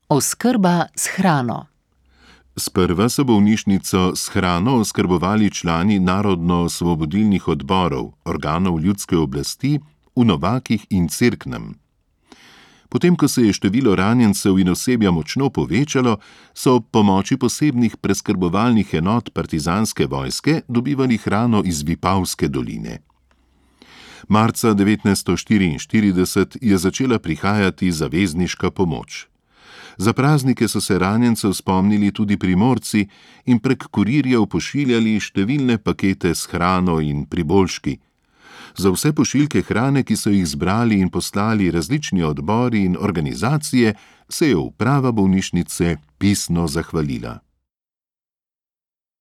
Oskrba s hrano. Sprva so bolnišnico s hrano oskrbovali člani narodno-osvobodilnih odborov, organov ljudske oblasti, v Novakih in Cerknem. Potem, ko se je število ranjencev in osebja močno povečalo, so ob pomoči posebnih preskrbovalnih enot partizanske vojske dobivali hrano iz Vipavske doline. Marca 1944 je začela prihajati zavezniška pomoč. Za praznike so se ranjencev spomnili tudi Primorci in prek kurirjev pošiljali številne pakete s hrano in priboljški. Za vse pošiljke hrane, ki so jih zbrali in poslali različni odbori in organizacije, se je uprava bolnišnice pisno zahvalila.